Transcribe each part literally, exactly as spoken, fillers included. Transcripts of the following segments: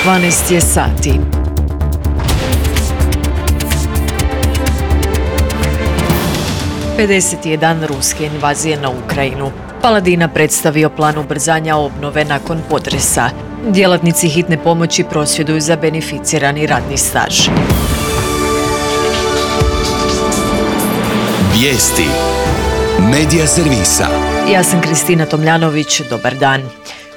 dvanaest je sati. pedeseti je dan ruske invazije na Ukrajinu. Paladina predstavio plan ubrzanja obnove nakon potresa. Djelatnici hitne pomoći prosvjeduju za beneficirani radni staž. Vijesti Medija servisa. Ja sam Kristina Tomljanović, dobar dan.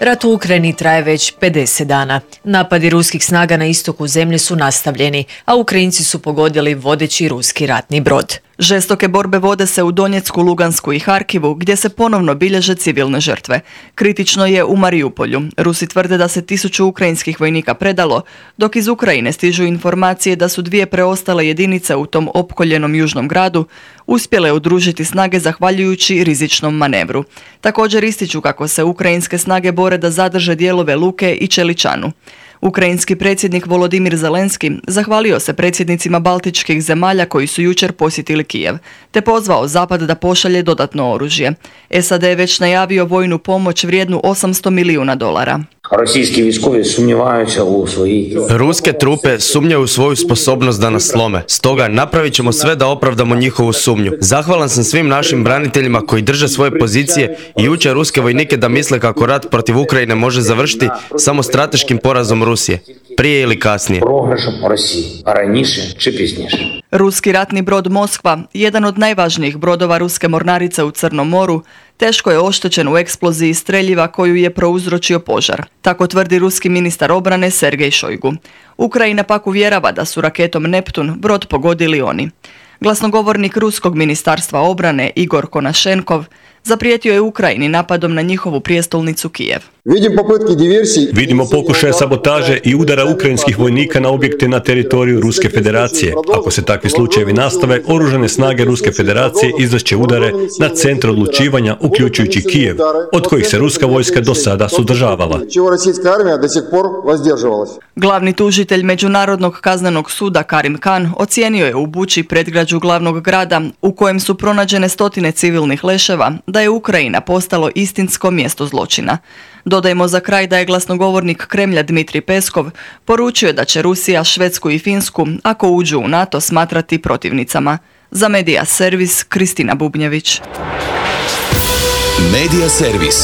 Rat u Ukrajini traje već pedeset dana. Napadi ruskih snaga na istoku zemlje su nastavljeni, a Ukrajinci su pogodili vodeći ruski ratni brod. Žestoke borbe vode se u Donjecku, Lugansku i Harkivu, gdje se ponovno bilježe civilne žrtve. Kritično je u Mariupolju. Rusi tvrde da se tisuću ukrajinskih vojnika predalo, dok iz Ukrajine stižu informacije da su dvije preostale jedinice u tom opkoljenom južnom gradu uspjele udružiti snage zahvaljujući rizičnom manevru. Također ističu kako se ukrajinske snage bore da zadrže dijelove Luke i Čeličanu. Ukrajinski predsjednik Volodimir Zelenski zahvalio se predsjednicima baltičkih zemalja koji su jučer posjetili Kijev, te pozvao Zapad da pošalje dodatno oružje. S A D je već najavio vojnu pomoć vrijednu osamsto milijuna dolara. Ruske trupe sumnjaju u svoju sposobnost da nas slome. Stoga napravit ćemo sve da opravdamo njihovu sumnju. Zahvalan sam svim našim braniteljima koji drže svoje pozicije i uče ruske vojnike da misle kako rat protiv Ukrajine može završiti samo strateškim porazom Rusije, prije ili kasnije. Ruski ratni brod Moskva, jedan od najvažnijih brodova ruske mornarice u Crnom moru, teško je oštećen u eksploziji streljiva koju je prouzročio požar. Tako tvrdi ruski ministar obrane Sergej Šojgu. Ukrajina pak uvjerava da su raketom Neptun brod pogodili oni. Glasnogovornik ruskog ministarstva obrane Igor Konašenkov zaprijetio je Ukrajini napadom na njihovu prijestolnicu Kijev. Vidimo pokušaje sabotaže i udara ukrajinskih vojnika na objekte na teritoriju Ruske federacije. Ako se takvi slučajevi nastave, oružane snage Ruske federacije izvešće udare na centar odlučivanja, uključujući Kijev, od kojih se ruska vojska do sada suzdržavala. Glavni tužitelj Međunarodnog kaznenog suda Karim Khan ocijenio je u Buči, predgrađu glavnog grada, u kojem su pronađene stotine civilnih leševa, da je Ukrajina postalo istinsko mjesto zločina. Dodajmo za kraj da je glasnogovornik Kremlja Dmitrij Peskov poručio da će Rusija, Švedsku i Finsku, ako uđu u NATO, smatrati protivnicama. Za Medija servis, Kristina Bubnjević. Medija servis.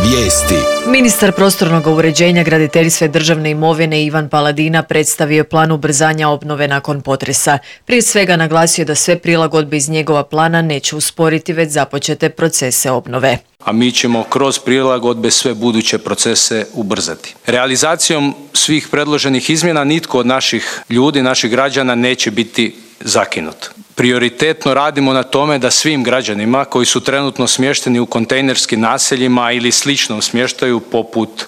Vijesti. Ministar prostornog uređenja, graditeljstva i državne imovine Ivan Paladina predstavio plan ubrzanja obnove nakon potresa. Prije svega naglasio da sve prilagodbe iz njegova plana neće usporiti već započete procese obnove. A mi ćemo kroz prilagodbe sve buduće procese ubrzati. Realizacijom svih predloženih izmjena nitko od naših ljudi, naših građana neće biti zakinut. Prioritetno radimo na tome da svim građanima koji su trenutno smješteni u kontejnerskim naseljima ili sličnom smještaju poput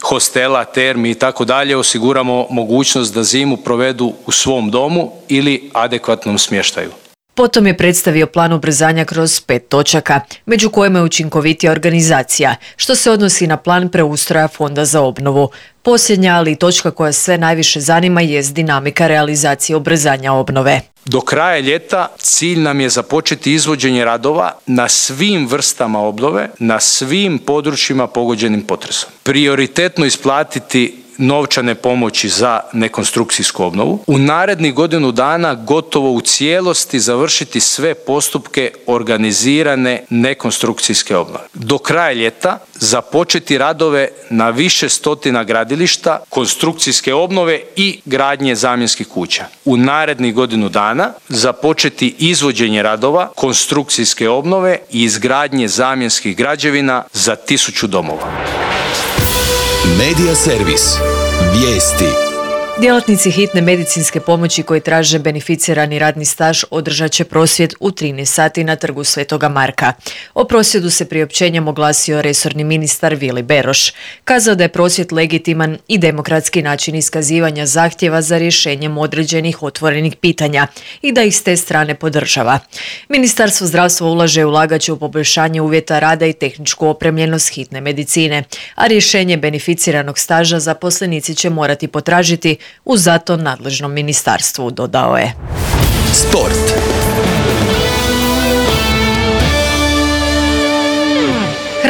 hostela, termi i tako dalje osiguramo mogućnost da zimu provedu u svom domu ili adekvatnom smještaju. Potom je predstavio plan ubrzanja kroz pet točaka, među kojima je učinkovitija organizacija, što se odnosi na plan preustroja Fonda za obnovu. Posljednja, ali i točka koja sve najviše zanima, jest dinamika realizacije ubrzanja obnove. Do kraja ljeta cilj nam je započeti izvođenje radova na svim vrstama obnove, na svim područjima pogođenim potresom. Prioritetno isplatiti novčane pomoći za nekonstrukcijsku obnovu. U narednih godinu dana gotovo u cijelosti završiti sve postupke organizirane nekonstrukcijske obnove. Do kraja ljeta započeti radove na više stotina gradilišta, konstrukcijske obnove i gradnje zamjenskih kuća. U narednih godinu dana započeti izvođenje radova, konstrukcijske obnove i izgradnje zamjenskih građevina za tisuću domova. Medija servis. Vijesti. Djelatnici hitne medicinske pomoći koji traže beneficirani radni staž održat će prosvjed u trinaest sati na trgu Svetoga Marka. O prosvjedu se priopćenjem oglasio resorni ministar Vili Beroš. Kazao da je prosvjed legitiman i demokratski način iskazivanja zahtjeva za rješenjem određenih otvorenih pitanja i da ih s te strane podržava. Ministarstvo zdravstva ulaže i ulagat će u poboljšanje uvjeta rada i tehničku opremljenost hitne medicine, a rješenje beneficiranog staža zaposlenici će morati potražiti u zato nadležnom ministarstvu, dodao je. Sport.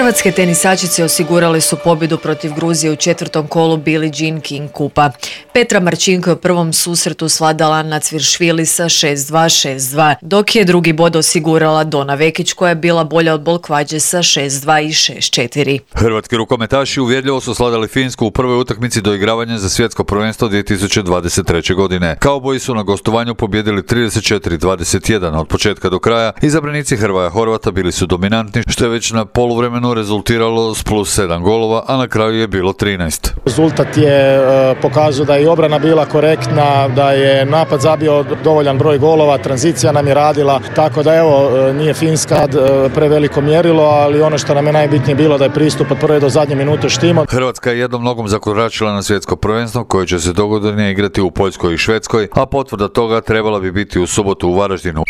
Hrvatske tenisačice osigurale su pobjedu protiv Gruzije u četvrtom kolu Billie Jean King kupa. Petra Marčinko je u prvom susretu svladala Anna Cviršvili sa šest dva šest dva, dok je drugi bod osigurala Dona Vekić koja je bila bolja od Bolkvađe sa šest dva i šest četiri. Hrvatski rukometaši uvjerljivo su svladali Finsku u prvoj utakmici doigravanja za svjetsko prvenstvo dvije tisuće dvadeset treće. godine. Kauboji su na gostovanju pobjedili trideset četiri dvadeset jedan od početka do kraja. Izabranici Hrvoja Horvata bili su dominantni, što je već na poluvremenu rezultiralo s plus sedam golova, a na kraju je bilo trinaest. Rezultat je e, pokazao da je obrana bila korektna, da je napad zabio dovoljan broj golova, tranzicija nam je radila, tako da evo, e, nije Finska e, preveliko mjerilo, ali ono što nam je najbitnije bilo da je pristup od prve do zadnje minute štimo. Hrvatska je jednom nogom zakoračila na svjetsko prvenstvo koje će se dogodine igrati u Poljskoj i Švedskoj, a potvrda toga trebala bi biti u subotu u Varaždinu.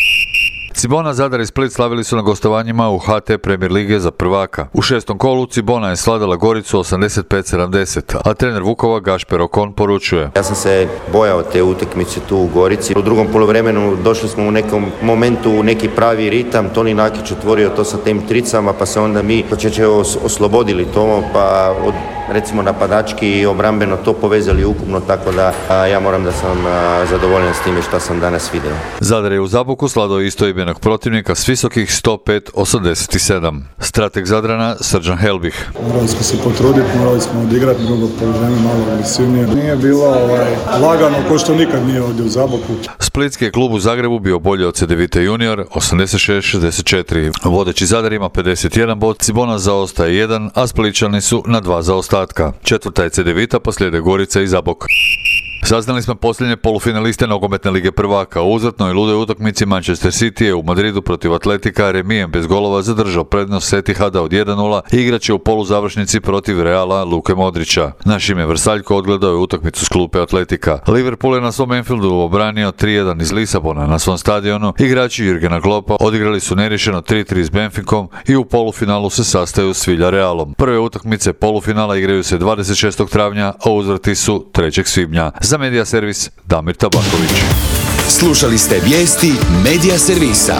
Cibona, Zadar i Split slavili su na gostovanjima u H T Premier lige za prvaka. U šestom kolu Cibona je svladala Goricu osamdeset pet sedamdeset, a trener Vukova Gašper Okon poručuje: Ja sam se bojao te utakmice tu u Gorici. U drugom poluvremenu došli smo u nekom momentu u neki pravi ritam. Toni Nakić otvorio to sa tim tricama, pa se onda mi počeće oslobodili to, pa od recimo napadački i obrambeno to povezali ukupno, tako da a, ja moram da sam a, zadovoljan s time što sam danas vidio. Zadar je u Zaboku sladao istoimenog protivnika s visokih sto pet osamdeset sedam. Strateg Zadrana Srđan Helbih: Morali smo se potruditi, morali smo odigrati drugo poluvreme malo agresivnije. Nije bilo ovaj, lagano ko što nikad nije ovdje u Zaboku. Splitski je klub u Zagrebu bio bolji od Cedevite junior osamdeset šest šezdeset četiri. Vodeći Zadar ima pedeset jedan bod, Cibona zaostaje jedan, a Splićani su na dva zaostatka. Četvrta je Cedevita, poslijede Gorica i Zabok. Saznali smo posljednje polufinaliste nogometne lige prvaka. U uzvratnoj i ludoj utakmici Manchester City je u Madridu protiv Atletika remijem bez golova zadržao prednost Etihada od jedan nula i igraće u poluzavršnici protiv Reala Luke Modrića. Naš ime Vrsaljko odgledao je utakmicu s klupe Atletika. Liverpool je na svom Anfieldu obranio tri jedan iz Lisabona na svom stadionu. Igrači Jurgena Kloppa odigrali su neriješeno tri tri s Benficom i u polufinalu se sastaju s Villarrealom. Prve utakmice polufinala igraju se dvadeset šestog travnja, a uzvrati su trećeg svibnja. Za Medija Servis Damir Tabaković. Slušali ste vijesti Medija Servisa.